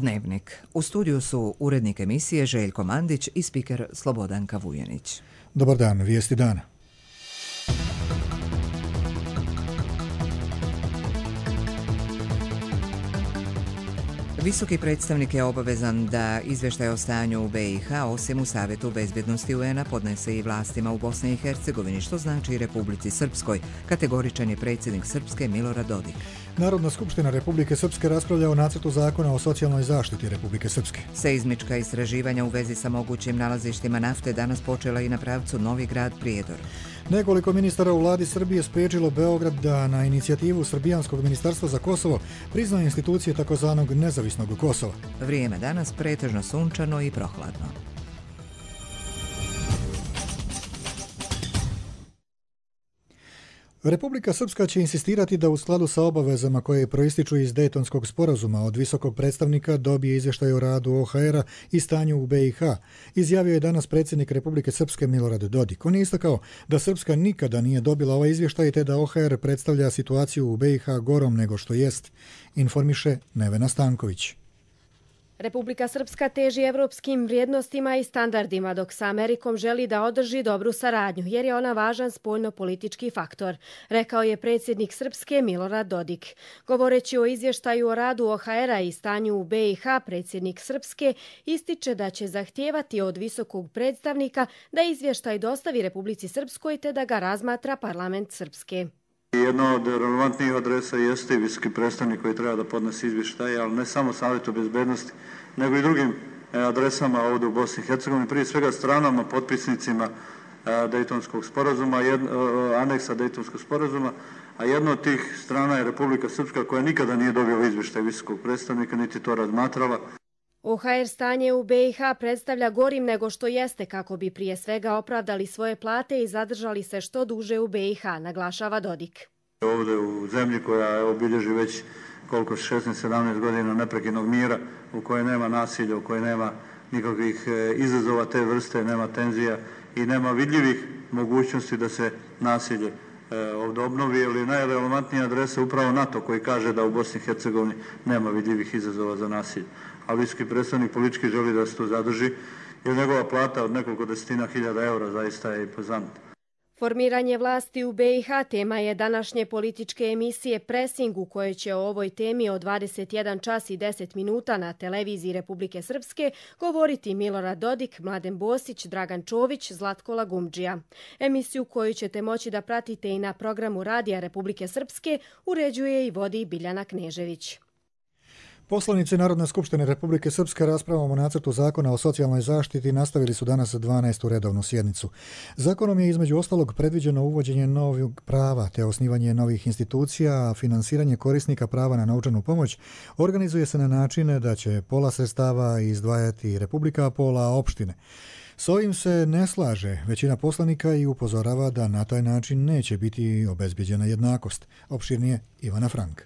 Dnevnik. U studiju su urednik emisije Željko Mandić i spiker Slobodanka Vujanić. Dobar dan, vijesti dana. Visoki predstavnik je obavezan da izvještaj o stanju u BiH osim u Savjetu bezbjednosti UN-a podnese i vlastima u Bosni i Hercegovini, što znači i Republici Srpskoj, kategoričan je predsjednik Srpske Milorad Dodik. Narodna skupština Republike Srpske raspravlja o nacrtu zakona o socijalnoj zaštiti Republike Srpske. Seizmička istraživanja u vezi sa mogućim nalazištima nafte danas počela i na pravcu Novi Grad-Prijedor. Nekoliko ministara u vladi Srbije spriječilo Beograd da na inicijativu Srbijanskog ministarstva za Kosovo prizna institucije takozvanog nezavisnog Kosova. Vrijeme danas pretežno sunčano i prohladno. Republika Srpska će insistirati da u skladu sa obavezama koje proističu iz Dejtonskog sporazuma od visokog predstavnika dobije izvještaj o radu OHR-a i stanju u BiH, izjavio je danas predsjednik Republike Srpske Milorad Dodik. On je istakao da Srpska nikada nije dobila ovaj izvještaj te da OHR predstavlja situaciju u BiH gorom nego što jest, informiše Nevena Stanković. Republika Srpska teži evropskim vrijednostima i standardima, dok sa Amerikom želi da održi dobru saradnju, jer je ona važan spoljno-politički faktor, rekao je predsjednik Srpske Milorad Dodik. Govoreći o izvještaju o radu OHR-a i stanju u BiH, predsjednik Srpske ističe da će zahtijevati od visokog predstavnika da izvještaj dostavi Republici Srpskoj te da ga razmatra parlament Srpske. Jedna od relevantnijih adresa jeste i visoki predstavnik koji treba da podnese izvještaje, ali ne samo Savjetu bezbednosti, nego i drugim adresama ovdje u Bosni i Hercegovini, prije svega stranama, potpisnicima Dejtonskog sporazuma, aneksa Dejtonskog sporazuma, a jedna od tih strana je Republika Srpska koja nikada nije dobila izvještaj visokog predstavnika, niti to razmatrala. OHR stanje u BiH predstavlja gorim nego što jeste kako bi prije svega opravdali svoje plate i zadržali se što duže u BiH, naglašava Dodik. Ovdje u zemlji koja obilježi već 16-17 godina neprekidnog mira, u kojoj nema nasilja, u kojoj nema nikakvih izazova te vrste, nema tenzija i nema vidljivih mogućnosti da se nasilje ovdje obnovi, ali najrelevantnija adresa je upravo NATO koji kaže da u Bosni i Hercegovini nema vidljivih izazova za nasilje. A visoki predstavnik politički želi da se to zadrži, jer njegova plata od nekoliko desetina hiljada eura zaista je impozantna. Formiranje vlasti u BiH tema je današnje političke emisije Pressing, u kojoj će o ovoj temi od 21 čas i 10 minuta na televiziji Republike Srpske govoriti Milorad Dodik, Mladen Bosić, Dragan Čović, Zlatko Lagumdžija. Emisiju koju ćete moći da pratite i na programu Radija Republike Srpske uređuje i vodi Biljana Knežević. Poslanici Narodne skupštine Republike Srpske raspravom o nacrtu zakona o socijalnoj zaštiti nastavili su danas 12. redovnu sjednicu. Zakonom je između ostalog predviđeno uvođenje novog prava te osnivanje novih institucija, a finansiranje korisnika prava na novčanu pomoć organizuje se na način da će pola sredstava izdvajati Republika, a pola opštine. S ovim se ne slaže većina poslanika i upozorava da na taj način neće biti obezbjeđena jednakost. Opširnije Ivana Frank.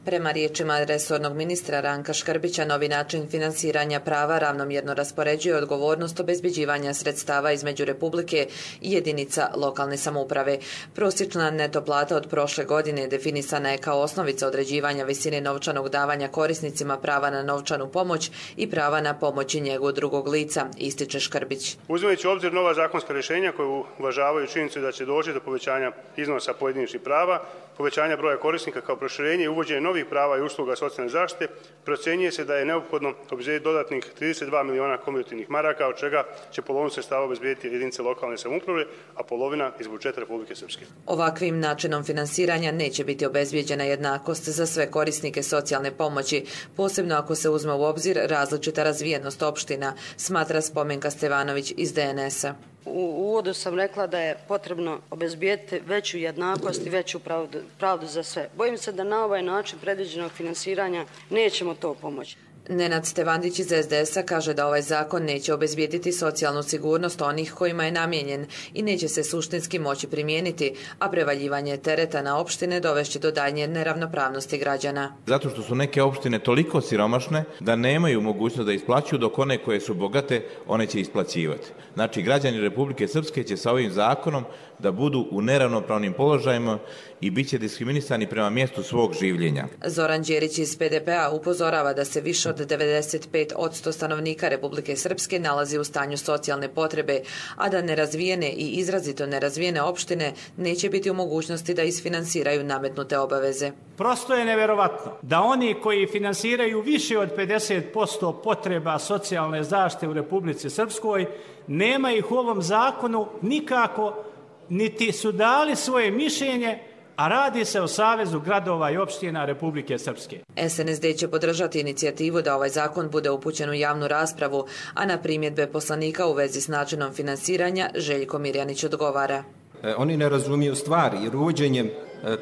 Prema riječima resornog ministra Ranka Škrbića, novi način finansiranja prava ravnomjerno raspoređuje odgovornost obezbeđivanja sredstava između Republike i jedinica lokalne samouprave. Prosječna neto plata od prošle godine definisana je kao osnovica određivanja visine novčanog davanja korisnicima prava na novčanu pomoć i prava na pomoć i njegu drugog lica, ističe Škrbić. Uzimajući u obzir nova zakonska rješenja koje uvažavaju činjenicu da će doći do povećanja iznosa pojedinačnih prava, povećanja broja korisnika kao proširenje i uvođenje novih prava i usluga socijalne zaštite, procjenjuje se da je neophodno obezbijediti dodatnih 32 miliona kumulativnih maraka, od čega će polovinu sredstava obezbijediti jedinice lokalne samouprave, a polovina iz budžeta Republike Srpske. Ovakvim načinom finansiranja neće biti obezbijeđena jednakost za sve korisnike socijalne pomoći, posebno ako se uzme u obzir različita razvijenost opština, smatra Spomenka Stevanović iz DNS-a. U uvodu sam rekla da je potrebno obezbijeti veću jednakost i veću pravdu za sve. Bojim se da na ovaj način predviđenog finansiranja nećemo to pomoći. Nenad Stevandić iz SDS-a kaže da ovaj zakon neće obezbijediti socijalnu sigurnost onih kojima je namijenjen i neće se suštinski moći primijeniti, a prevaljivanje tereta na opštine dovešće do daljnje neravnopravnosti građana. Zato što su neke opštine toliko siromašne da nemaju mogućnost da isplaćuju, dok one koje su bogate, one će isplaćivati. Znači, građani Republike Srpske će sa ovim zakonom da budu u neravnopravnim položajima i bit će diskriminisani prema mjestu svog življenja. Zoran Đerić iz PDP-a upozorava da se više od 95% stanovnika Republike Srpske nalazi u stanju socijalne potrebe, a da nerazvijene i izrazito nerazvijene opštine neće biti u mogućnosti da isfinansiraju nametnute obaveze. Prosto je neverovatno da oni koji finansiraju više od 50% potreba socijalne zaštite u Republici Srpskoj nema ih u ovom zakonu nikako, niti su dali svoje mišljenje, a radi se o Savezu gradova i opština Republike Srpske. SNSD će podržati inicijativu da ovaj zakon bude upućen u javnu raspravu, a na primjedbe poslanika u vezi s načinom finansiranja Željko Mirjanić odgovara. Oni ne razumiju stvari, jer uvođenjem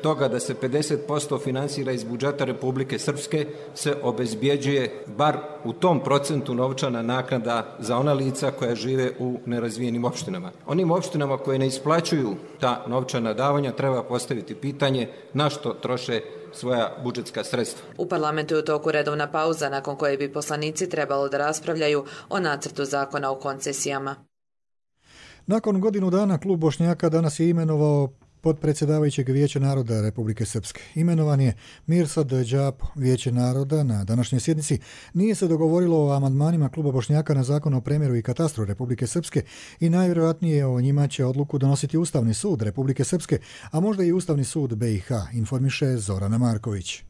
toga da se 50% finansira iz budžeta Republike Srpske se obezbjeđuje bar u tom procentu novčana naknada za ona lica koja žive u nerazvijenim opštinama. Onim opštinama koje ne isplaćuju ta novčana davanja treba postaviti pitanje na što troše svoja budžetska sredstva. U parlamentu je u toku redovna pauza nakon koje bi poslanici trebalo da raspravljaju o nacrtu zakona o koncesijama. Nakon godinu dana klub Bošnjaka danas je imenovao potpredsjedavajućeg Vijeća naroda Republike Srpske. Imenovan je Mirsad Đapo. Vijeće naroda na današnjoj sjednici nije se dogovorilo o amandmanima kluba Bošnjaka na zakon o premjeru i katastru Republike Srpske i najvjerojatnije o njima će odluku donositi Ustavni sud Republike Srpske, a možda i Ustavni sud BiH, informiše Zorana Marković.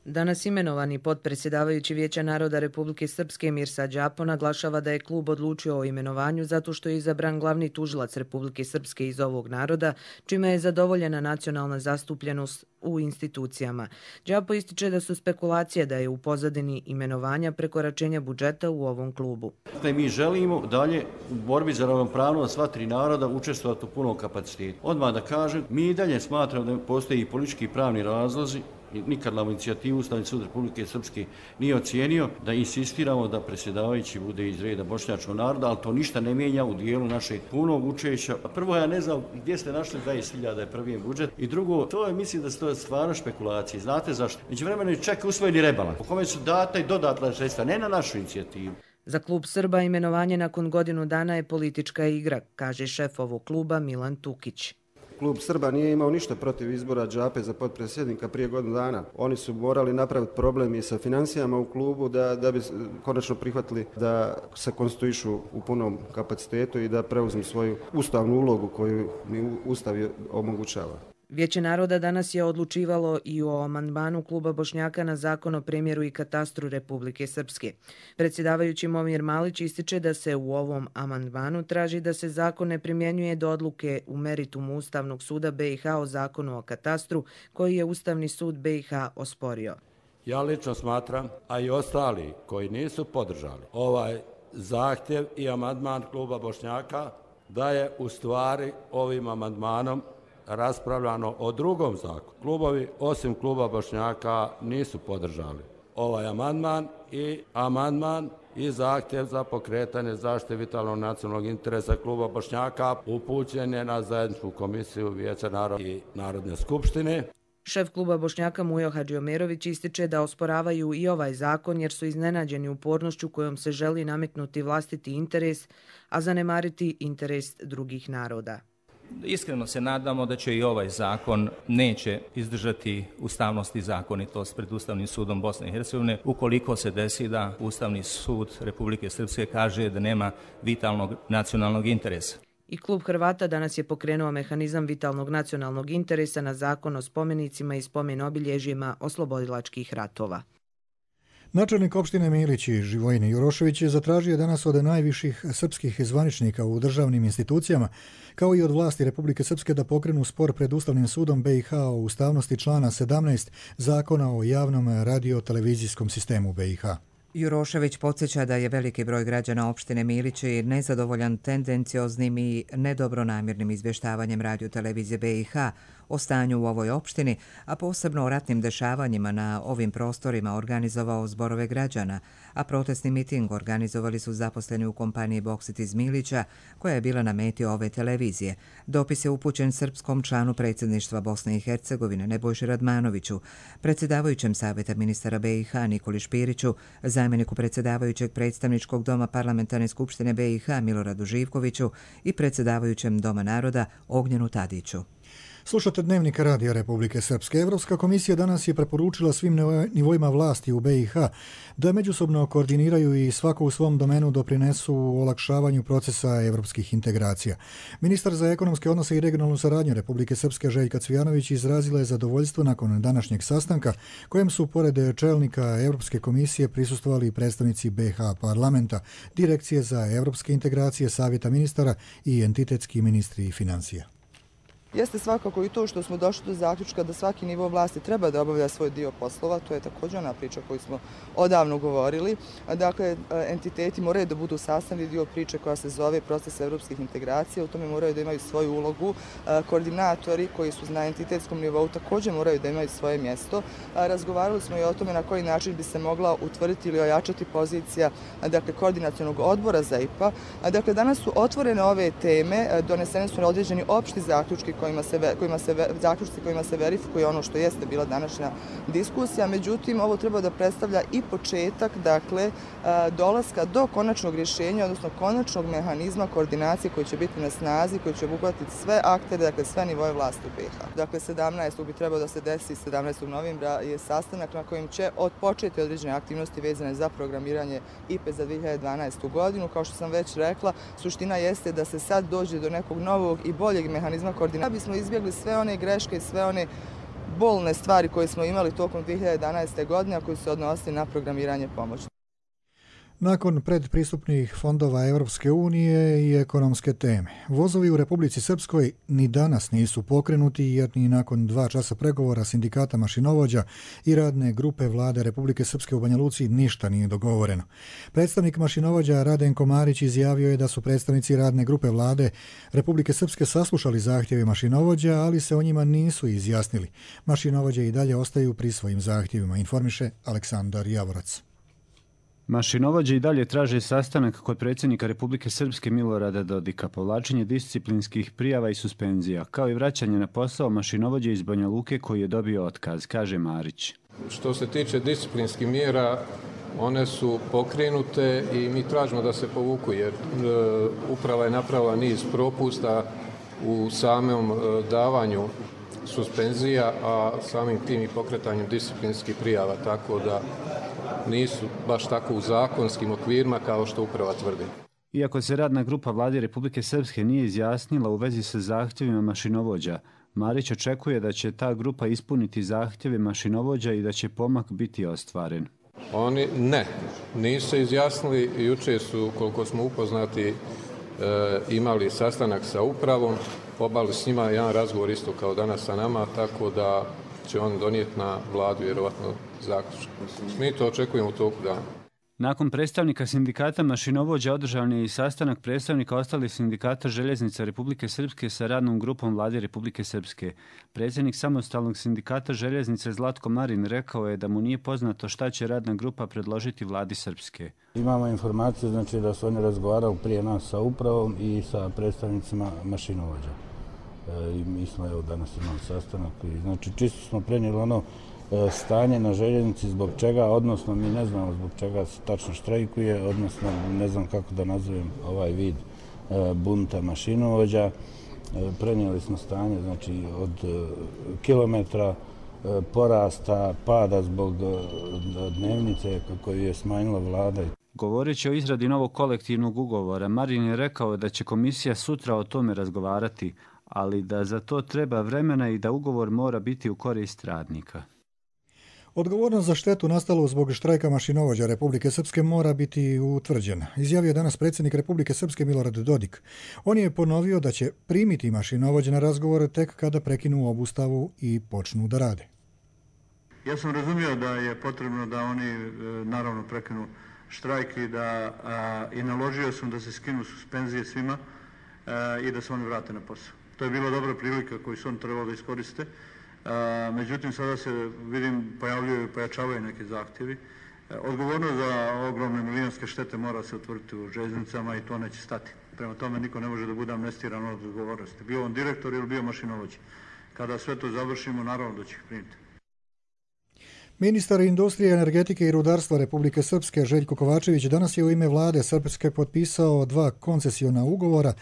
Danas imenovani potpredsjedavajući Vijeća naroda Republike Srpske Mirsad Đapo naglašava da je klub odlučio o imenovanju zato što je izabran glavni tužilac Republike Srpske iz ovog naroda, čime je zadovoljena nacionalna zastupljenost u institucijama. Đapo ističe da su spekulacije da je u pozadini imenovanja prekoračenja budžeta u ovom klubu. Mi želimo dalje u borbi za ravnopravnost sva tri naroda učestvovati u punom kapacitetu. Odmah da kažem, mi i dalje smatramo da postoji i politički i pravni razlozi. Nikad nam inicijativu Ustavni sud Republike Srpske nije ocijenio da insistiramo da predsjedavajući bude iz reda bošnjačkog naroda, ali to ništa ne mijenja u dijelu našeg punog učešća. Prvo, ja ne znam gdje ste našli 20.000 je prvi budžet i drugo, to je, mislim da su to stvarno špekulacije. Znate zašto? Međuvremeno je čak usvojeni rebalans po kome su data i dodatna sredstva, ne na našu inicijativu. Za klub Srba imenovanje nakon godinu dana je politička igra, kaže šef ovog kluba Milan Tukić. Klub Srba nije imao ništa protiv izbora Đape za potpredsjednika prije godinu dana. Oni su morali napraviti problem i sa financijama u klubu da bi konačno prihvatili da se konstituišu u punom kapacitetu i da preuzmu svoju ustavnu ulogu koju mi Ustav omogućava. Vijeće naroda danas je odlučivalo i o amandmanu kluba Bošnjaka na zakon o premjeru i katastru Republike Srpske. Predsjedavajući Momir Malić ističe da se u ovom amandmanu traži da se zakon ne primjenjuje do odluke u meritumu Ustavnog suda BiH o zakonu o katastru koji je Ustavni sud BiH osporio. Ja lično smatram, a i ostali koji nisu podržali ovaj zahtjev i amandman kluba Bošnjaka, da je u stvari ovim amandmanom raspravljano o drugom zakonu. Klubovi, osim kluba Bošnjaka, nisu podržali ovaj amandman i zahtjev za pokretanje zaštite vitalnog nacionalnog interesa kluba Bošnjaka upućen je na zajedničku komisiju Vijeća naroda i Narodne skupštine. Šef kluba Bošnjaka Mujo Hadžiomerović ističe da osporavaju i ovaj zakon jer su iznenađeni upornošću kojom se želi nametnuti vlastiti interes, a zanemariti interes drugih naroda. Iskreno se nadamo da će i ovaj zakon neće izdržati ustavnost i zakonitost pred Ustavnim sudom Bosne i Hercegovine ukoliko se desi da Ustavni sud Republike Srpske kaže da nema vitalnog nacionalnog interesa. I klub Hrvata danas je pokrenuo mehanizam vitalnog nacionalnog interesa na zakon o spomenicima i spomen obilježjima oslobodilačkih ratova. Načelnik opštine Milić Živojin Jurošević je zatražio danas od najviših srpskih zvaničnika u državnim institucijama, kao i od vlasti Republike Srpske da pokrenu spor pred Ustavnim sudom BiH o ustavnosti člana 17 Zakona o javnom radio-televizijskom sistemu BiH. Jurošević podsjeća da je veliki broj građana opštine Milići nezadovoljan tendencioznim i nedobronamjernim izvještavanjem radio-televizije BiH o stanju u ovoj opštini, a posebno o ratnim dešavanjima na ovim prostorima organizovao zborove građana, a protestni miting organizovali su zaposleni u kompaniji Boksit iz Milića, koja je bila na meti ove televizije. Dopis je upućen srpskom članu predsjedništva Bosne i Hercegovine Nebojši Radmanoviću, predsjedavajućem Savjeta ministara BiH Nikoli Špiriću, zamjeniku predsjedavajućeg predstavničkog doma Parlamentarne skupštine BiH Miloradu Živkoviću i predsjedavajućem Doma naroda Ognjenu Tadiću. Slušate Dnevnik Radija Republike Srpske. Evropska komisija danas je preporučila svim nivoima vlasti u BiH da međusobno koordiniraju i svako u svom domenu doprinesu olakšavanju procesa evropskih integracija. Ministar za ekonomske odnose i regionalnu saradnju Republike Srpske Željka Cvijanović izrazila je zadovoljstvo nakon današnjeg sastanka kojem su pored čelnika Evropske komisije prisustvovali i predstavnici BiH parlamenta, Direkcije za evropske integracije, Savjeta ministara i entitetski ministri financija. Jeste svakako i to što smo došli do zaključka da svaki nivo vlasti treba da obavlja svoj dio poslova, to je također ona priča koju smo odavno govorili. Dakle, entiteti moraju da budu sastavni dio priče koja se zove proces evropskih integracija, u tome moraju da imaju svoju ulogu. Koordinatori koji su na entitetskom nivou također moraju da imaju svoje mjesto. Razgovarali smo i o tome na koji način bi se mogla utvrditi ili ojačati pozicija koordinacionog odbora za IPA. Dakle, danas su otvorene ove teme, donesene su određeni opšti zaključki kojima se verifikuje ono što jeste bila današnja diskusija. Međutim, ovo treba da predstavlja i početak, dolaska do konačnog rješenja, odnosno konačnog mehanizma koordinacije koji će biti na snazi, koji će obuhvatiti sve aktere, sve nivoje vlasti u BiH. Dakle, 17. bi trebao da se desi, 17. novembra je sastanak na kojem će odpočeti određene aktivnosti vezane za programiranje IPE za 2012. godinu. Kao što sam već rekla, suština jeste da se sad dođe do nekog novog i boljeg mehanizma koordinacije. Da bismo izbjegli sve one greške i sve one bolne stvari koje smo imali tokom 2011. godine, a koje se odnosili na programiranje pomoći. Nakon predpristupnih fondova Evropske unije i ekonomske teme, vozovi u Republici Srpskoj ni danas nisu pokrenuti jer ni nakon 2 časa pregovora sindikata mašinovođa i radne grupe vlade Republike Srpske u Banja Luci ništa nije dogovoreno. Predstavnik mašinovođa Radenko Marić izjavio je da su predstavnici radne grupe vlade Republike Srpske saslušali zahtjeve mašinovođa, ali se o njima nisu izjasnili. Mašinovođe i dalje ostaju pri svojim zahtjevima, informiše Aleksandar Javorac. Mašinovođe i dalje traže sastanak kod predsjednika Republike Srpske Milorada Dodika, povlačenje disciplinskih prijava i suspenzija, kao i vraćanje na posao mašinovođe iz Banja Luke koji je dobio otkaz, kaže Marić. Što se tiče disciplinskih mjera, one su pokrenute i mi tražimo da se povuku jer uprava je napravila niz propusta u samom davanju suspenzija, a samim tim i pokretanjem disciplinskih prijava, tako da nisu baš tako u zakonskim okvirima kao što uprava tvrdi. Iako se radna grupa vlade Republike Srpske nije izjasnila u vezi sa zahtjevima mašinovođa, Marić očekuje da će ta grupa ispuniti zahtjeve mašinovođa i da će pomak biti ostvaren. Oni nisu se izjasnili. Jučer su, koliko smo upoznati, imali sastanak sa upravom, obavili s njima jedan razgovor isto kao danas sa nama, tako da će on donijeti na vladu vjerovatno zaključak. Mi to očekujemo u toku dana. Nakon predstavnika sindikata mašinovođa održan je i sastanak predstavnika ostalih sindikata željeznica Republike Srpske sa radnom grupom vlade Republike Srpske. Predsjednik samostalnog sindikata željeznice Zlatko Marin rekao je da mu nije poznato šta će radna grupa predložiti vladi Srpske. Imamo informaciju da su oni razgovarali prije nas sa upravom i sa predstavnicima mašinovođa. Mi smo danas imali sastanak i znači čisto smo prenijeli ono stanje na željeznici zbog čega, odnosno mi ne znamo zbog čega se tačno štrajkuje, odnosno ne znam kako da nazovem ovaj vid bunta mašinovođa. Prenijeli smo stanje znači od kilometra porasta, pada zbog dnevnice koju je smanjila vlada. Govoreći o izradi novog kolektivnog ugovora, Marin je rekao da će komisija sutra o tome razgovarati, ali da za to treba vremena i da ugovor mora biti u korist radnika. Odgovornost za štetu nastalu zbog štrajka mašinovođa Republike Srpske mora biti utvrđena, izjavio danas predsjednik Republike Srpske Milorad Dodik. On je ponovio da će primiti mašinovođe na razgovor tek kada prekinu obustavu i počnu da rade. Ja sam razumio da je potrebno da oni naravno prekinu štrajk i naložio sam da se skinu suspenzije svima i da se oni vrate na posao. To je bila dobra prilika koju su oni trebali da iskoriste. Međutim, sada se, vidim, pojavljuju i pojačavaju neki zahtjevi. Odgovornost za ogromne milijonske štete mora se utvrditi u željeznicama i to neće stati. Prema tome, niko ne može da bude amnestiran od odgovornosti. Bio on direktor ili bio mašinovođa. Kada sve to završimo, naravno da će ih primiti. Ministar industrije, energetike i rudarstva Republike Srpske Željko Kovačević danas je u ime vlade Srpske potpisao 2 koncesiona ugovora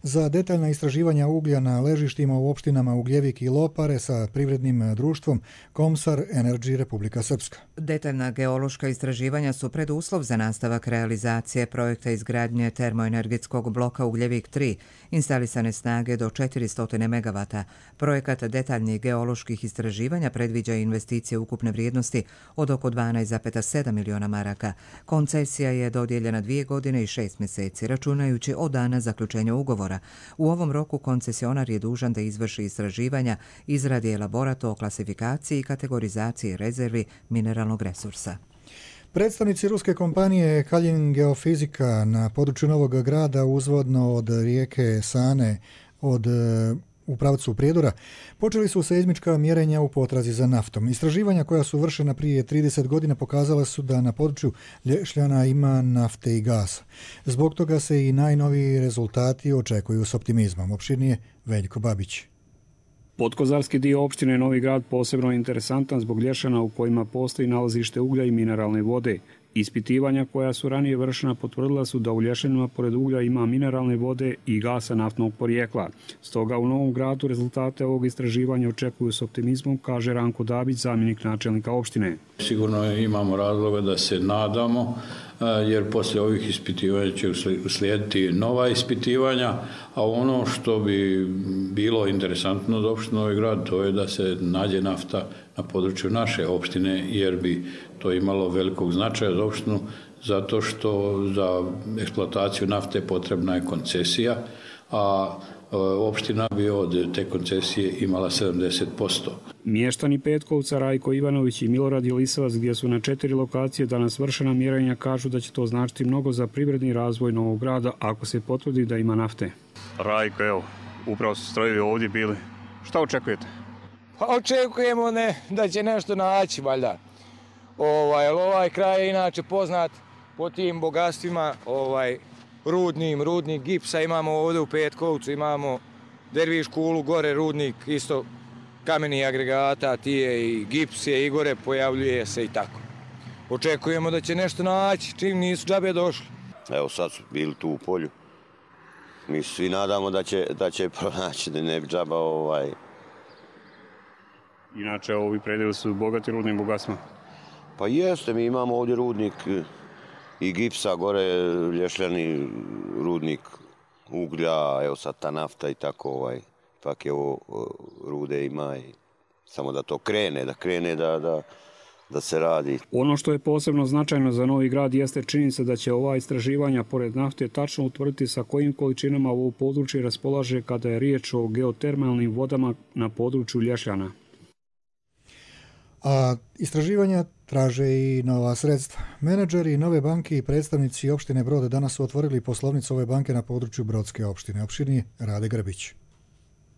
za detaljna istraživanja uglja na ležištima u opštinama Ugljevik i Lopare sa privrednim društvom Komsar Energy Republika Srpska. Detaljna geološka istraživanja su preduslov za nastavak realizacije projekta izgradnje termoenergetskog bloka Ugljevik 3, instalisane snage do 400 MW. Projekat detaljnih geoloških istraživanja predviđa investicije ukupne vrijednosti od oko 12,7 miliona maraka. Koncesija je dodijeljena 2 godine i 6 mjeseci, računajući od dana zaključenja ugovora. U ovom roku koncesionar je dužan da izvrši istraživanja, izradi elaborat o klasifikaciji i kategorizaciji rezervi mineralnog resursa. Predstavnici ruske kompanije Kaljin Geofizika na području Novog Grada uzvodno od rijeke Sane u pravcu Prijedora počeli su seizmička mjerenja u potrazi za naftom. Istraživanja koja su vršena prije 30 godina pokazala su da na području Lješljana ima nafte i gasa. Zbog toga se i najnoviji rezultati očekuju s optimizmom. Opširnije Veljko Babić. Podkozarski dio opštine Novi Grad posebno je interesantan zbog lješana u kojima postoji nalazište uglja i mineralne vode. Ispitivanja koja su ranije vršena potvrdila su da u lješanima pored uglja ima mineralne vode i gasa naftnog porijekla. Stoga u Novom Gradu rezultate ovog istraživanja očekuju s optimizmom, kaže Ranko Dabić, zamjenik načelnika opštine. Sigurno imamo razloga da se nadamo, jer poslije ovih ispitivanja će uslijediti nova ispitivanja, a ono što bi bilo interesantno za opštinu Novi Grad, to je da se nađe nafta na području naše opštine, jer bi to imalo velikog značaja za opštinu, zato što za eksploataciju nafte potrebna je koncesija, a opština bi od te koncesije imala 70%. Mještani Petkovca, Rajko Ivanović i Milorad Jelisavac, gdje su na 4 lokacije danas vršena mjerenja, kažu da će to značiti mnogo za privredni razvoj Novog Grada ako se potvrdi da ima nafte. Rajko, evo, upravo su strojevi ovdje bili. Šta očekujete? Pa očekujemo da će nešto naći, valjda. Ovaj kraj je inače poznat po tim bogatstvima, rudnik gipsa imamo ovdje u Petkovcu, imamo Derviš kulu, gore rudnik, isto kameni agregata, tije i gips je i gore, pojavljuje se i tako. Očekujemo da će nešto naći, čim nisu džabe došli. Evo sad su bili tu u polju. Mi svi nadamo da će pronaći, da ne bi džaba Inače, ovi predeli su bogati rudnim bogatstvima. Pa jeste, mi imamo ovdje rudnik i gipsa, gore lješljani rudnik uglja, evo sad ta nafta i tako, ipak je ovo rude ima i samo da to krene, da se radi. Ono što je posebno značajno za Novi Grad jeste činjenica da će ova istraživanja pored nafte tačno utvrditi sa kojim količinama ovo područje raspolaže kada je riječ o geotermalnim vodama na području Lješljana. A istraživanja traže i nova sredstva. Menadžeri Nove banke i predstavnici opštine Brod danas su otvorili poslovnicu ove banke na području Brodske opštine. Opširnije Rade Grbić.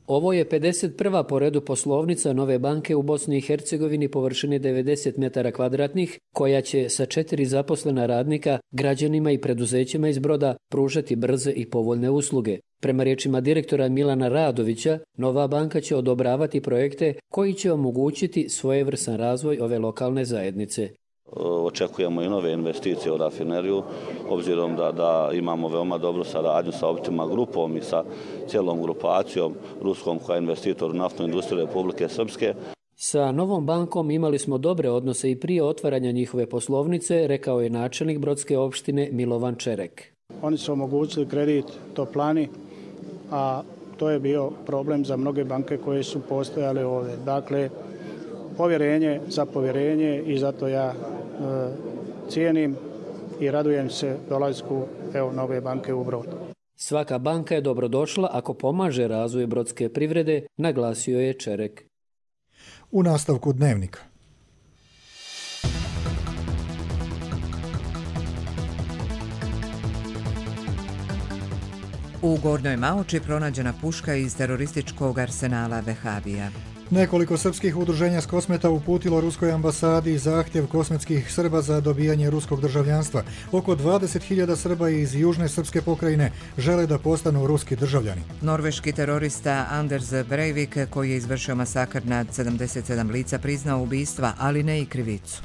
Ovo je 51. po redu poslovnica Nove banke u Bosni i Hercegovini površine 90 metara kvadratnih, koja će sa 4 zaposlena radnika građanima i preduzećima iz Broda pružati brze i povoljne usluge. Prema riječima direktora Milana Radovića, Nova banka će odobravati projekte koji će omogućiti svojevrstan razvoj ove lokalne zajednice. Očekujemo i nove investicije u rafineriju, obzirom da imamo veoma dobru saradnju sa Optima grupom i sa cijelom grupacijom ruskom koja je investitor u naftnu industriju Republike Srpske. Sa Novom bankom imali smo dobre odnose i prije otvaranja njihove poslovnice, rekao je načelnik Brodske opštine Milovan Čerek. Oni su omogućili kredit Toplani, a to je bio problem za mnoge banke koje su postojale ovdje. Dakle, povjerenje za povjerenje i zato ja cijenim i radujem se dolasku Nove banke u Brod. Svaka banka je dobrodošla ako pomaže razvoju brodske privrede, naglasio je Čerek. U nastavku Dnevnika. U Gornjoj Maoči pronađena puška iz terorističkog arsenala Vehabija. Nekoliko srpskih udruženja s Kosmeta uputilo ruskoj ambasadi zahtjev kosmetskih Srba za dobijanje ruskog državljanstva. Oko 20.000 Srba iz južne srpske pokrajine žele da postanu ruski državljani. Norveški terorista Anders Breivik, koji je izvršio masakr nad 77 lica, priznao ubistva, ali ne i krivicu.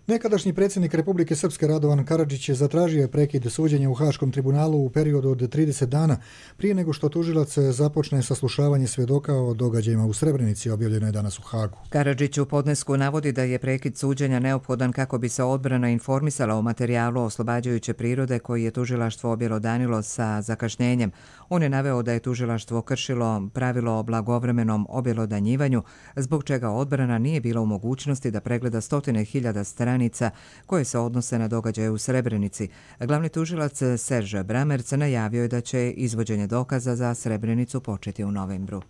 Nekadašnji predsjednik Republike Srpske Radovan Karadžić zatražio je prekid suđenja u Haškom tribunalu u periodu od 30 dana prije nego što tužilac započne saslušavanje svjedoka o događajima u Srebrenici, objavljeno je danas u Hagu. Karadžić u podnesku navodi da je prekid suđenja neophodan kako bi se odbrana informisala o materijalu oslobađajuće prirode koji je tužilaštvo objelodanilo sa zakašnjenjem. On je naveo da je tužilaštvo kršilo pravilo o blagovremenom objelodanjivanju, zbog čega odbrana nije bila u mogućnosti da pregleda 100.000 stranica koje se odnose na događaje u Srebrenici. Glavni tužilac Serž Bramerc najavio je da će izvođenje dokaza za Srebrenicu početi u novembru.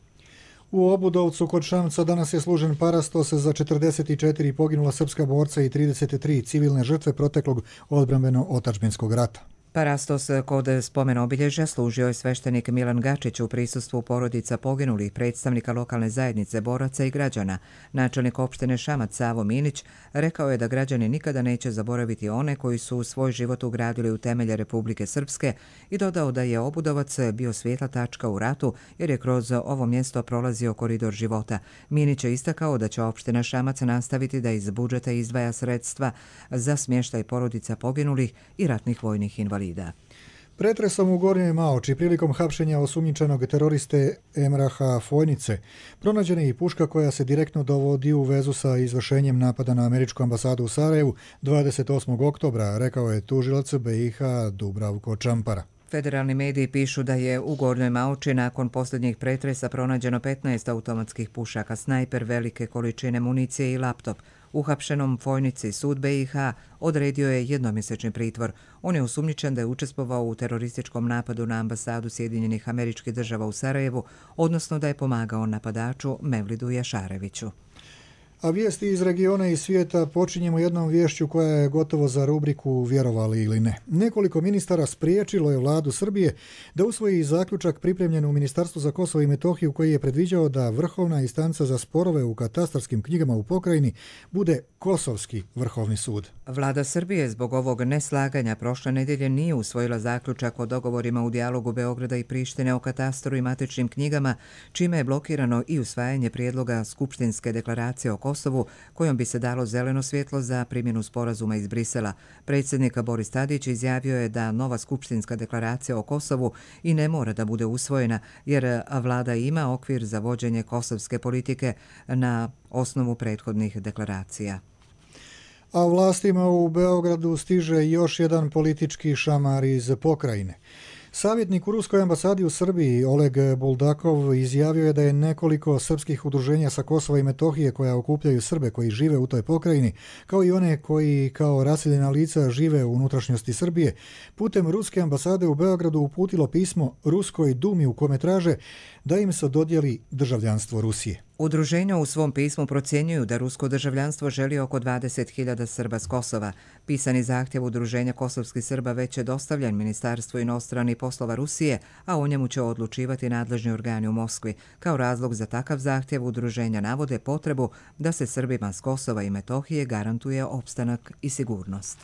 U Obudovcu kod Šamca danas je služen parastos za 44 poginula srpska borca i 33 civilne žrtve proteklog odbrambeno-otadžbinskog rata. Parastos kod spomen obilježja služio je sveštenik Milan Gačić u prisustvu porodica poginulih, predstavnika lokalne zajednice, boraca i građana. Načelnik opštine Šamac Savo Minić rekao je da građani nikada neće zaboraviti one koji su svoj život ugradili u temelje Republike Srpske i dodao da je Obudovac bio svijetla tačka u ratu jer je kroz ovo mjesto prolazio koridor života. Minić je istakao da će opština Šamac nastaviti da iz budžeta izdvaja sredstva za smještaj porodica poginulih i ratnih vojnih invalida. Pretresom u Gornjoj Maoči prilikom hapšenja osumnjičenog teroriste Emraha Fojnice pronađena je i puška koja se direktno dovodi u vezu sa izvršenjem napada na američku ambasadu u Sarajevu 28. oktobra, rekao je tužilac BiH Dubravko Čampara. Federalni mediji pišu da je u Gornjoj Maoči nakon posljednjih pretresa pronađeno 15 automatskih pušaka, snajper, velike količine municije i laptop. Uhapšenom Fojnici sud BiH odredio je jednomjesečni pritvor. On je osumnjičen da je učestvovao u terorističkom napadu na ambasadu Sjedinjenih Američkih Država u Sarajevu, odnosno da je pomagao napadaču Mevlidu Jašareviću. A vijesti iz regiona i svijeta počinjemo jednom viješću koja je gotovo za rubriku vjerovali ili ne. Nekoliko ministara spriječilo je vladu Srbije da usvoji zaključak pripremljen u Ministarstvu za Kosovo i Metohiju koji je predviđao da vrhovna instanca za sporove u katastarskim knjigama u pokrajini bude Kosovski vrhovni sud. Vlada Srbije zbog ovog neslaganja prošle nedjelje nije usvojila zaključak o dogovorima u dijalogu Beograda i Prištine o katastru i matičnim knjigama, čime je blokirano i usvajanje prijedloga Skupštinske deklaracije o Kosovu, kojom bi se dalo zeleno svjetlo za primjenu sporazuma iz Brisela. Predsjednik Boris Tadić izjavio je da nova Skupštinska deklaracija o Kosovu i ne mora da bude usvojena, jer vlada ima okvir za vođenje kosovske politike na osnovu prethodnih deklaracija. A vlastima u Beogradu stiže još jedan politički šamar iz pokrajine. Savjetnik u Ruskoj ambasadi u Srbiji Oleg Buldakov izjavio je da je nekoliko srpskih udruženja sa Kosova i Metohije koja okupljaju Srbe koji žive u toj pokrajini, kao i one koji kao raseljena lica žive u unutrašnjosti Srbije, putem Ruske ambasade u Beogradu uputilo pismo Ruskoj dumi u kome traže da im se dodijeli državljanstvo Rusije. Udruženja u svom pismu procjenjuju da rusko državljanstvo želi oko 20.000 Srba s Kosova. Pisani zahtjev Udruženja kosovskih Srba već je dostavljen Ministarstvu inostranih poslova Rusije, a o njemu će odlučivati nadležni organi u Moskvi. Kao razlog za takav zahtjev udruženja navode potrebu da se Srbima s Kosova i Metohije garantuje opstanak i sigurnost.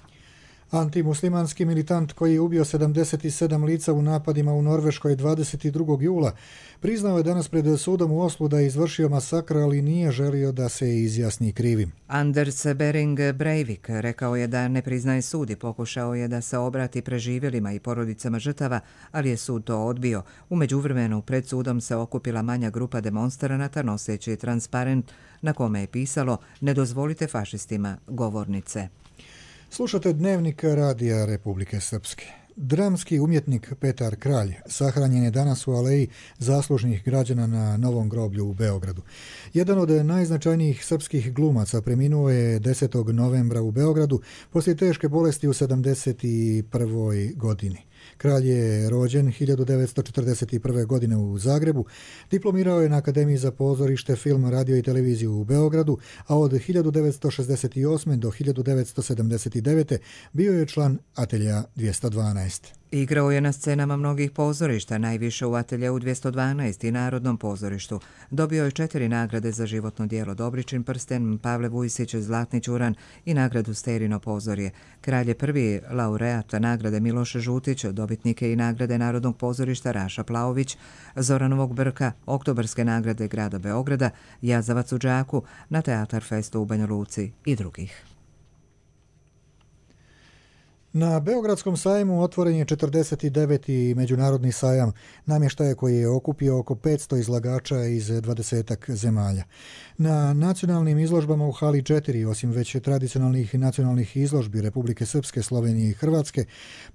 Antimuslimanski militant koji je ubio 77 lica u napadima u Norveškoj 22. jula priznao je danas pred sudom u Oslu da je izvršio masakr, ali nije želio da se izjasni krivim. Anders Behring Breivik rekao je da ne priznaje sud i pokušao je da se obrati preživjelima i porodicama žrtava, ali je sud to odbio. U međuvremenu pred sudom se okupila manja grupa demonstranata noseći transparent na kome je pisalo "Ne dozvolite fašistima govornice". Slušate Dnevnik Radija Republike Srpske. Dramski umjetnik Petar Kralj sahranjen je danas u aleji zaslužnih građana na Novom groblju u Beogradu. Jedan od najznačajnijih srpskih glumaca preminuo je 10. novembra u Beogradu poslije teške bolesti u 71. godini. Kralj je rođen 1941. godine u Zagrebu, diplomirao je na Akademiji za pozorište, film, radio i televiziju u Beogradu, a od 1968. do 1979. bio je član Atelja 212. Igrao je na scenama mnogih pozorišta, najviše u Ateljeu 212 i Narodnom pozorištu. Dobio je 4 nagrade za životno djelo: Dobričin prsten, Pavle Vujsić, Zlatni ćuran i nagradu Sterino pozorje. Kralj je prvi laureat nagrade Miloš Žutić, dobitnike i nagrade Narodnog pozorišta Raša Plaović, Zoranovog Brka, Oktobarske nagrade grada Beograda, Jazavac u Đaku, na Teatar Festu u Banja Luci i drugih. Na Beogradskom sajmu otvoren je 49. međunarodni sajam namještaja koji je okupio oko 500 izlagača iz 20 zemalja. Na nacionalnim izložbama u hali 4, osim već tradicionalnih nacionalnih izložbi Republike Srpske, Slovenije i Hrvatske,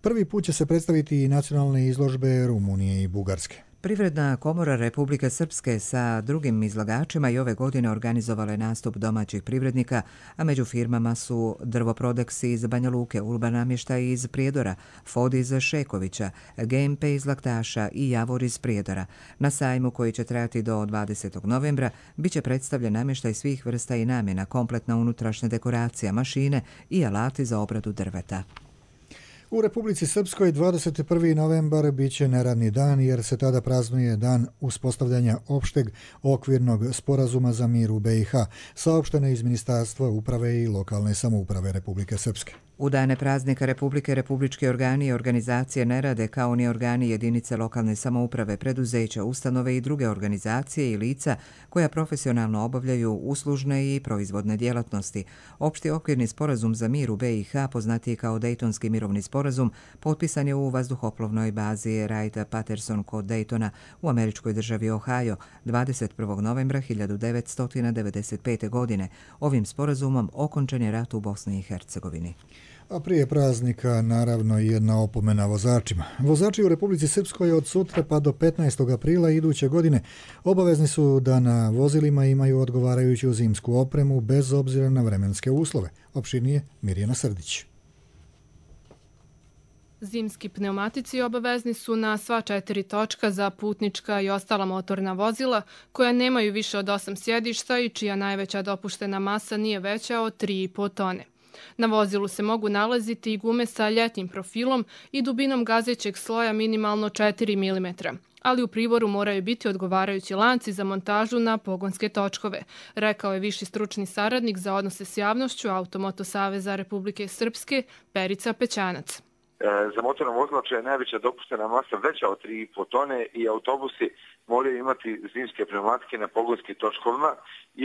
prvi put će se predstaviti i nacionalne izložbe Rumunije i Bugarske. Privredna komora Republike Srpske sa drugim izlagačima i ove godine organizovala je nastup domaćih privrednika, a među firmama su Drvoprodex iz Banja Luke, Urban namještaj iz Prijedora, Fod iz Šekovića, GMP iz Laktaša i Javor iz Prijedora. Na sajmu koji će trajati do 20. novembra bit će predstavljen namještaj svih vrsta i namjena, kompletna unutrašnja dekoracija, mašine i alati za obradu drveta. U Republici Srpskoj 21. novembar bit će neradni dan jer se tada praznuje dan uspostavljanja opšteg okvirnog sporazuma za mir u BiH, saopšteno iz Ministarstva uprave i lokalne samouprave Republike Srpske. U dane praznika Republike, republički organi i organizacije ne rade kao ni organi jedinice lokalne samouprave, preduzeća, ustanove i druge organizacije i lica koja profesionalno obavljaju uslužne i proizvodne djelatnosti. Opšti okvirni sporazum za mir u BiH, poznatiji kao Dejtonski mirovni sporazum, potpisan je u vazduhoplovnoj bazi Wright-Patterson kod Daytona u američkoj državi Ohio 21. novembra 1995. godine. Ovim sporazumom okončan je rat u Bosni i Hercegovini. A prije praznika, naravno, i jedna opomena vozačima. Vozači u Republici Srpskoj od sutra pa do 15. aprila iduće godine obavezni su da na vozilima imaju odgovarajuću zimsku opremu bez obzira na vremenske uslove. Opširnije Mirjana Srdić. Zimski pneumatici obavezni su na sva 4 točka za putnička i ostala motorna vozila koja nemaju više od 8 sjedišta i čija najveća dopuštena masa nije veća od 3,5 tone. Na vozilu se mogu nalaziti i gume sa ljetnim profilom i dubinom gazećeg sloja minimalno 4 mm, ali u priboru moraju biti odgovarajući lanci za montažu na pogonske točkove, rekao je viši stručni saradnik za odnose s javnošću Automoto saveza Republike Srpske Perica Pećanac. Za motorno vozilo čija je najveća dopuštena masa veća od 3,5 tone i autobusi moraju imati zimske pneumatike na pogonskim točkovima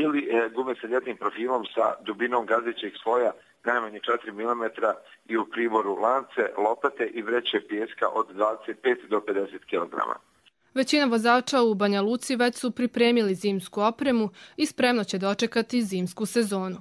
ili gume sa ljetnim profilom sa dubinom gazećeg sloja najmanje 4 mm i u priboru lance, lopate i vreće pijeska od 25 do 50 kg. Većina vozača u Banja Luci već su pripremili zimsku opremu i spremno će dočekati zimsku sezonu.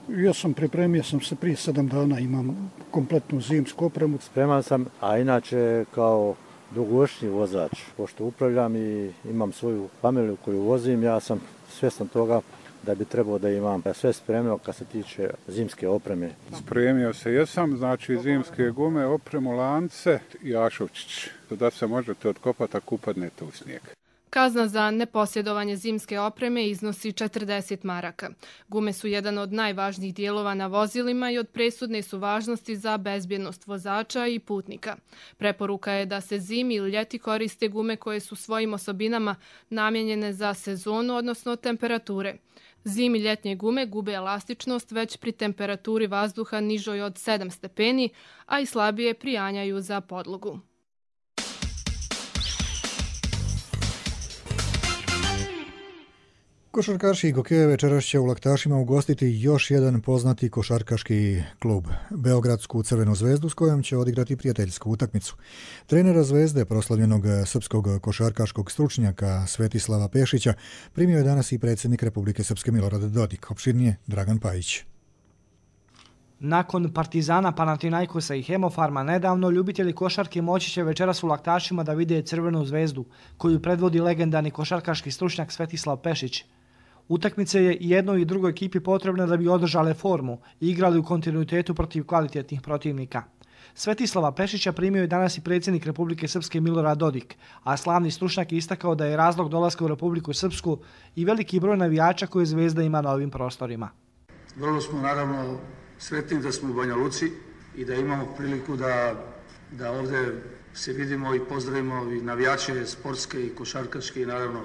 Ja sam pripremio se prije 7 dana, imam kompletnu zimsku opremu. Spreman sam, a inače kao dugogodišnji vozač, pošto upravljam i imam svoju familiju koju vozim, ja sam svjestan toga da bi trebao da imam sve spremno kad se tiče zimske opreme. Spremio se jesam, znači zimske gume, opremu, lance i jašovčić, da se možete otkopati ako upadnete u snijeg. Kazna za neposjedovanje zimske opreme iznosi 40 maraka. Gume su jedan od najvažnijih dijelova na vozilima i od presudne su važnosti za bezbjednost vozača i putnika. Preporuka je da se zimi ili ljeti koriste gume koje su svojim osobinama namijenjene za sezonu, odnosno temperature. Zimi ljetnje gume gube elastičnost već pri temperaturi vazduha nižoj od 7 stepeni, a i slabije prijanjaju za podlogu. Košarkaši Gokeje večeras će u Laktašima ugostiti još jedan poznati košarkaški klub, Beogradsku Crvenu zvezdu, s kojom će odigrati prijateljsku utakmicu. Trenera Zvezde, proslavljenog srpskog košarkaškog stručnjaka Svetislava Pešića, primio je danas i predsjednik Republike Srpske Milorad Dodik. Opširnije Dragan Pajić. Nakon Partizana, Panathinaikosa i Hemofarma, nedavno ljubitelji košarke moći će večeras u Laktašima da vide Crvenu zvezdu, koju predvodi legendarni košarkaški stručnjak Svetislav Pešić. Utakmice je i jednoj i drugoj ekipi potrebne da bi održale formu i igrali u kontinuitetu protiv kvalitetnih protivnika. Svetislava Pešića primio je danas i predsjednik Republike Srpske Milorad Dodik, a slavni stručnjak je istakao da je razlog dolaska u Republiku Srpsku i veliki broj navijača koje Zvezda ima na ovim prostorima. Vrlo smo naravno sretni da smo u Banja Luci i da imamo priliku da ovdje se vidimo i pozdravimo i navijače sportske i košarkaške i naravno,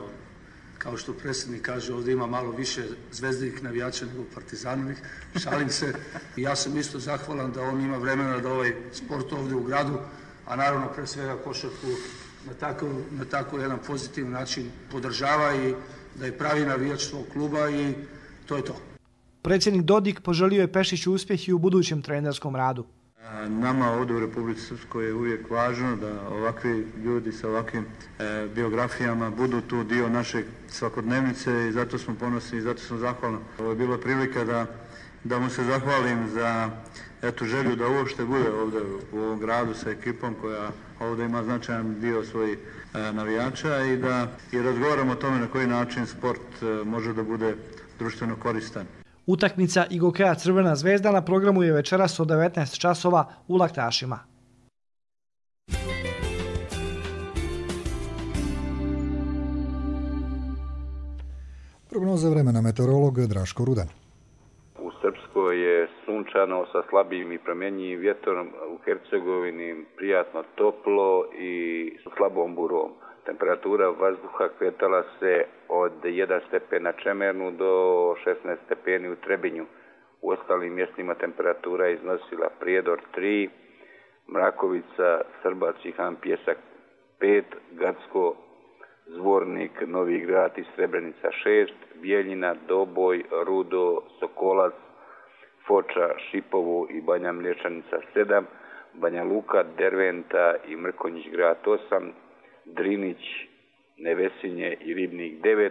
kao što predsjednik kaže, ovdje ima malo više zvezdinih navijača nego Partizanovih, šalim se. I ja sam isto zahvalan da on ima vremena da ovaj sport ovdje u gradu, a naravno pre svega košarku na tako jedan pozitivan način podržava i da je pravi navijač svog kluba i to je to. Predsjednik Dodik poželio je Pešiću uspjeh i u budućem trenerskom radu. Nama ovdje u Republici Srpskoj je uvijek važno da ovakvi ljudi sa ovakvim biografijama budu tu dio naše svakodnevnice i zato smo ponosni i zato sam zahvalan. Ovo je bila prilika da mu se zahvalim za želju da uopšte bude ovdje u ovom gradu sa ekipom koja ovdje ima značajan dio svojih navijača i razgovaramo o tome na koji način sport može da bude društveno koristan. Utakmica IGOK-a Crvena zvezda na programu je večeras od 19 časova u Laktašima. Prognoza vremena meteorolog Draško Rudan. U Srpskoj je sunčano sa slabim i promjenjivim vjetrom, u Hercegovini prijatno toplo i sa slabom burom. Temperatura vazduha kretala se od 1 stepen na Čemernu do 16 stepeni u Trebinju. U ostalim mjestima temperatura je iznosila Prijedor 3, Mrakovica, Srbac i Han Pjesak 5, Gacko, Zvornik, Novi Grad i Srebrenica 6, Bijeljina, Doboj, Rudo, Sokolac, Foča, Šipovo i Banja Mlječanica 7, Banja Luka, Derventa i Mrkonjić Grad 8, Drinić, Nevesinje i Ribnik 9,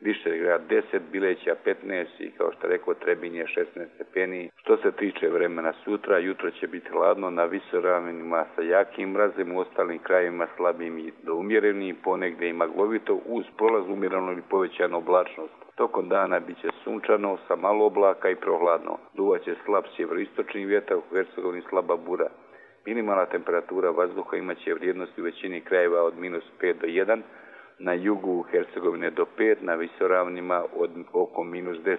Višegrad 10, Bileća 15 i kao što rekao Trebinje 16 stepeni. Što se tiče vremena sutra, jutro će biti hladno na visoravinima sa jakim mrazem, u ostalim krajevima slabim i do umjerenim, ponegdje i maglovito uz prolaz umjerenu ili povećanu oblačnost. Tokom dana bit će sunčano sa malo oblaka i prohladno. Duvaće slab sjeveroistočni vjetar, u Hercegovini slaba bura. Minimalna temperatura vazduha imaće vrijednosti u većini krajeva od -5 do 1, na jugu Hercegovine do 5, na visoravnima od oko -10.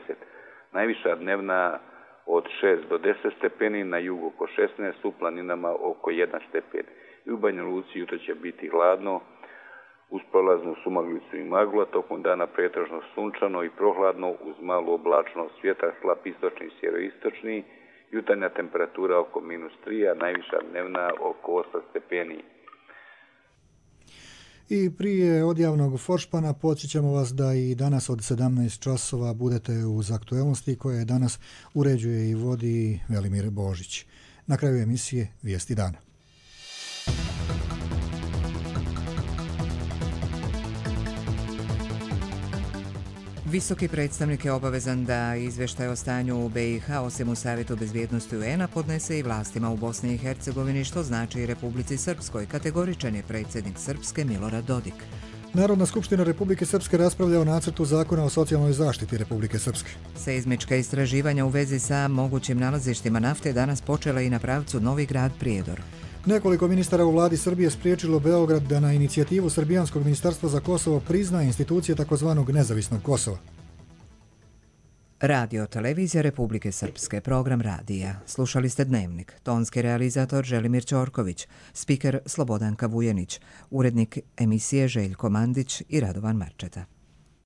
Najviša dnevna od 6 do 10 stepeni, na jugu oko 16, u planinama oko 1 stepen. I u Banja Luci jutro će biti hladno, uz prolaznu sumaglicu i maglu, tokom dana pretežno sunčano i prohladno uz malu oblačnost, vjetar slab istočni i sjeveroistočni, jutarnja temperatura oko -3, a najviša dnevna oko 8 stepeni. I prije odjavnog foršpana podsjećamo vas da i danas od 17 časova budete uz aktuelnosti koje danas uređuje i vodi Velimir Božić. Na kraju emisije Vijesti dana. Visoki predstavnik je obavezan da izvještaj o stanju u BiH osim u Savjetu bezbjednosti UN-a podnese i vlastima u Bosni i Hercegovini, što znači i Republici Srpskoj, kategoričan je predsjednik Srpske Milorad Dodik. Narodna skupština Republike Srpske raspravlja o nacrtu zakona o socijalnoj zaštiti Republike Srpske. Seizmička istraživanja u vezi sa mogućim nalazištima nafte danas počela i na pravcu Novi Grad Prijedor. Nekoliko ministara u vladi Srbije spriječilo Beograd da na inicijativu Srbijanskog ministarstva za Kosovo prizna institucije takozvanog nezavisnog Kosova. Radio Televizija Republike Srpske, program radija. Slušali ste Dnevnik. Tonski realizator Želimir Ćorković, spiker Slobodanka Vujenić, urednik emisije Željko Mandić i Radovan Marčeta.